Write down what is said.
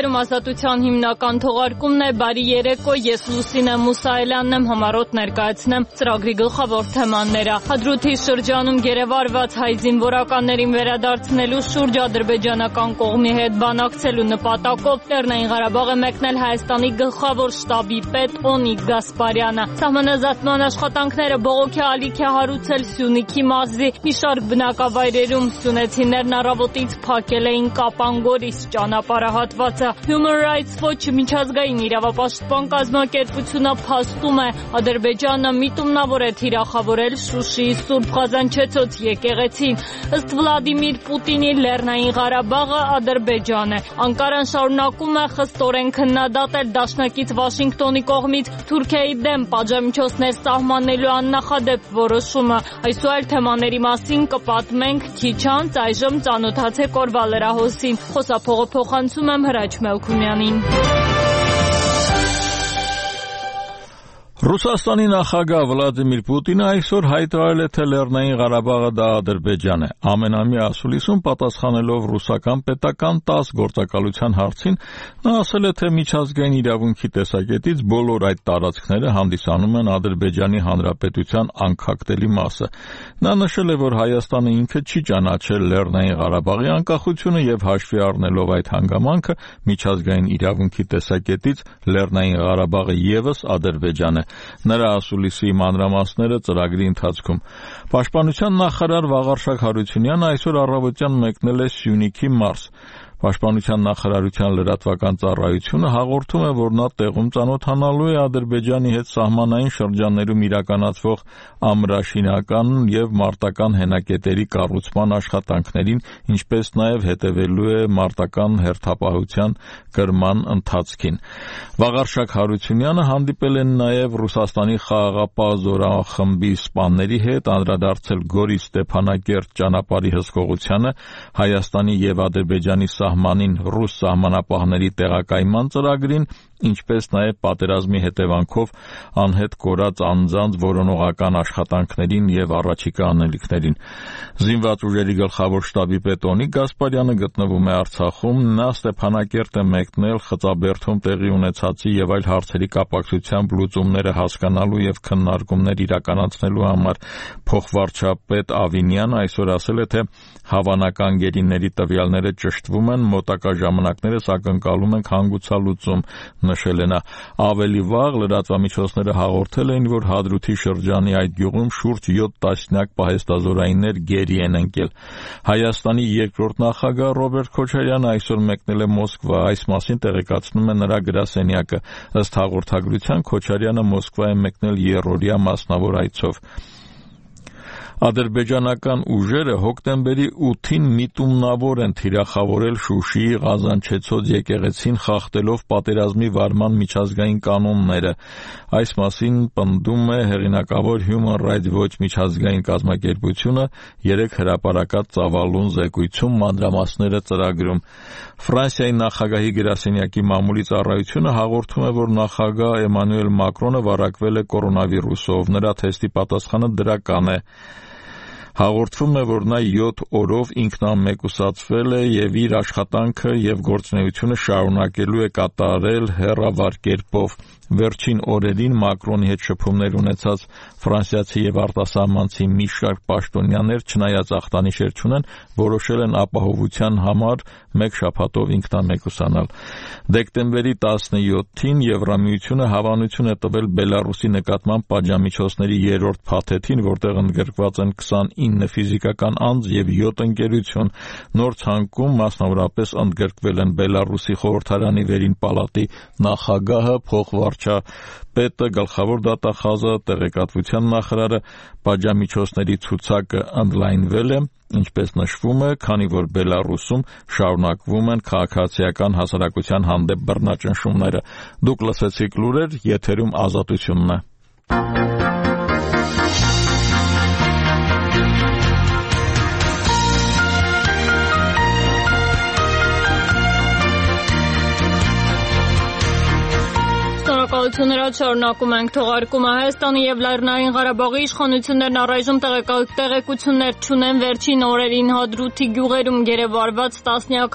Եթերում ազատության հիմնական թողարկումն է, բարի երեկո, ես Լուսինե Մուսայելյանն եմ, համառոտ ներկայացնեմ ծրագրի գլխավոր թեմաները։ Հադրութի շրջանում գերեվարված հայ զինվորականներին վերադարձնելու շուրջ ադրբեջանական կողմի հետ բանակցելու նպատակով Լեռնային Ղարաբաղ է մեկնել Հայաստանի գլխավոր շտաբի պետ Օնիկ Գասպարյանը։ Սահմանազատման աշխատանքները բողոքի ալիք է հարուցել Սյունիքի մարզի մի շարք բնակավայրերում։ Սյունեցիներն առավոտից փակել էին Կապանգորիս ճանապարհահատվածը։ Human Rights Watch միջազգային իրավապաշտպան կազմակերպությունը փաստում է, Ադրբեջանը միտումնավոր է թիրախավորել Շուշիի Սուրբ Ղազանչեցոց եկեղեցին։ Ըստ Վլադիմիր Պուտինի Լեռնային Ղարաբաղը Ադրբեջան է։ Անկարան շարունակում է խստորեն քննադատել դաշնակից Վաշինգտոնի կողմից Թուրքիայի դեմ պատժամիջոցներ սահմանելու աննախադեպ որոշումը։ Այս ու այլ թեմաների մասին կպատմենք քիչ անց, այժմ ծանոթացեք օրվա լրահոսին։ Խոսափողը փոխանցում եմ Հրաչ Մելքումյանին։ Ռուսաստանի նախագահ Վլադիմիր Պուտինը այսօր հայտարարել է, թե Լեռնային Ղարաբաղը դա Ադրբեջան է։ Ամենամյա ասուլիսում պատասխանելով ռուսական պետական 10 գործակալության հարցին, նա ասել է, թե միջազգային իրավունքի տեսակետից բոլոր այդ տարածքները հանդիսանում են Ադրբեջանի Հանրապետության անքակտելի մասը։ Նա նշել է, որ Հայաստանը ինքը չի ճանաչել Լեռնային Ղարաբաղի անկախությունը եւ հաշվի առնելով այդ հանգամանքը միջազգային իրավունքի տեսակետից Լեռնային Ղարաբաղը եւս Ադրբեջան է։ Նրա ասուլիսի մանրամասները ծրագրի ընթացքում։ Պաշտպանության նախարար Վաղարշակ Հարությունյանը այսօր առավոտյան մեկնել է Սյունիքի մարզ։ Պաշտպանության նախարարության լրատվական ծառայությունը հաղորդում է, որ նա տեղում ծանոթանալու է Ադրբեջանի հետ սահմանային շրջաններում իրականացվող ամրաշինական եւ մարտական հենակետերի կառուցման աշխատանքներին, ինչպես նաեւ հետևելու է մարտական հերթապահության կրման ընթացքին։ Վաղարշակ Հարությունյանը հանդիպել է նաեւ Ռուսաստանի խաղաղապահ զորախմբի սպաների հետ, անդրադարձել Գորի Ստեփանակերտ ճանապարհի հսկողությանը, Հայաստանի եւ Ադրբեջանի սահմանին ռուս սահմանապահների տեղակայման ծրագրին, ինչպես նաև պատերազմի հետևանքով անհետ կորած անձանց որոնողական աշխատանքներին եւ առաջիկա անելիքներին։ Զինված ուժերի գլխավոր շտաբի պետ Օնիկ Գասպարյանը գտնվում է Արցախում, նա Ստեփանակերտ է մեկնել Խծաբերդում տեղի ունեցածի եւ այլ հարցերի կապակցությամբ լուծումները հասկանալու եւ քննարկումներ իրականացնելու համար։ Փոխվարչապետ Ավինյանը այսօր ասել է, թե հավանական գերիների տվյալները ճշտվում են, մոտակա ժամանակներս ակնկալում ենք հանգուցալուծում, նշել է նա։ Ավելի վաղ լրատվամիջոցները հաղորդել էին, որ Հադրութի շրջանի այդ գյուղում շուրջ 7 տասնյակ պահեստազորայիններ գերի են ընկել։ Հայաստանի երկրորդ նախագահ Ռոբերտ Քոչարյանը այսօր մեկնել է Մոսկվա, այս մասին տեղեկացնում է նրա գրասենյակը։ Ըստ հաղորդագրության Քոչարյանը Մոսկվա է մեկնել երրորդյա մասնավոր այցով։ Ադրբեջանական ուժերը հոկտեմբերի 8-ին միտումնավոր են թիրախավորել Շուշիի Ղազանչեցոց եկեղեցին, խախտելով պատերազմի վարման միջազգային կանոնները։ Այս մասին պնդում է հեղինակավոր Human Rights Watch միջազգային կազմակերպությունը 3 հրապարակած ծավալուն զեկույցում, մանրամասները ծրագրում։ Ֆրանսիայի նախագահի գրասենյակի մամուլի ծառայությունը հաղորդում է, որ նախագահ Էմանուել Մակրոնը վարակվել է կորոնավիրուսով, նրա թեստի պատասխանը դրական է։ Հաղորդվում է, որ նա 7 օրով ինքնամեկուսացվել է եւ իր աշխատանքը եւ գործունեությունը շարունակելու է կատարել հեռավար կերպով։ Վերջին օրերին Մակրոնի հետ շփումներ ունեցած ֆրանսիացի եւ արտասահմանցի մի շարք պաշտոնյաներ, չնայած ախտանիշեր չունեն, որոշել են ապահովության համար 1 շաբաթով ինքնամեկուսանալ։ Դեկտեմբերի 17-ին Եվրամիությունը հավանություն է տվել Բելարուսի նկատմամբ պատժամիջոցների 3-րդ փաթեթին, որտեղ ընդգրկված են 29 ֆիզիկական անձ եւ 7 ընկերություն։ Նոր ցանկում մասնավորապես ընդգրկվել են Բելարուսի խորհրդարանի վերին պալատի նախագահը, փոխվարչապետը, գլխավոր դատախազը, տեղեկատվության նախարարը։ Պատժամիջոցների ցուցակը ընդլայնվել է, ինչպես նշվում է, քանի որ Բելարուսում շարունակվում են քաղաքացիական հասարակության հանդեպ բռնաճնշումները։ Դուք լսեցիք լուրեր, եթերում Ազատությունն է։ Շնորհակալություն, շարունակում ենք թողարկումը։ Հայաստանի եւ Լեռնային Ղարաբաղի իշխանություններն առայժմ տեղեկություններ չունեն վերջին օրերին Հադրութի գյուղերում գերեվարված տասնյակ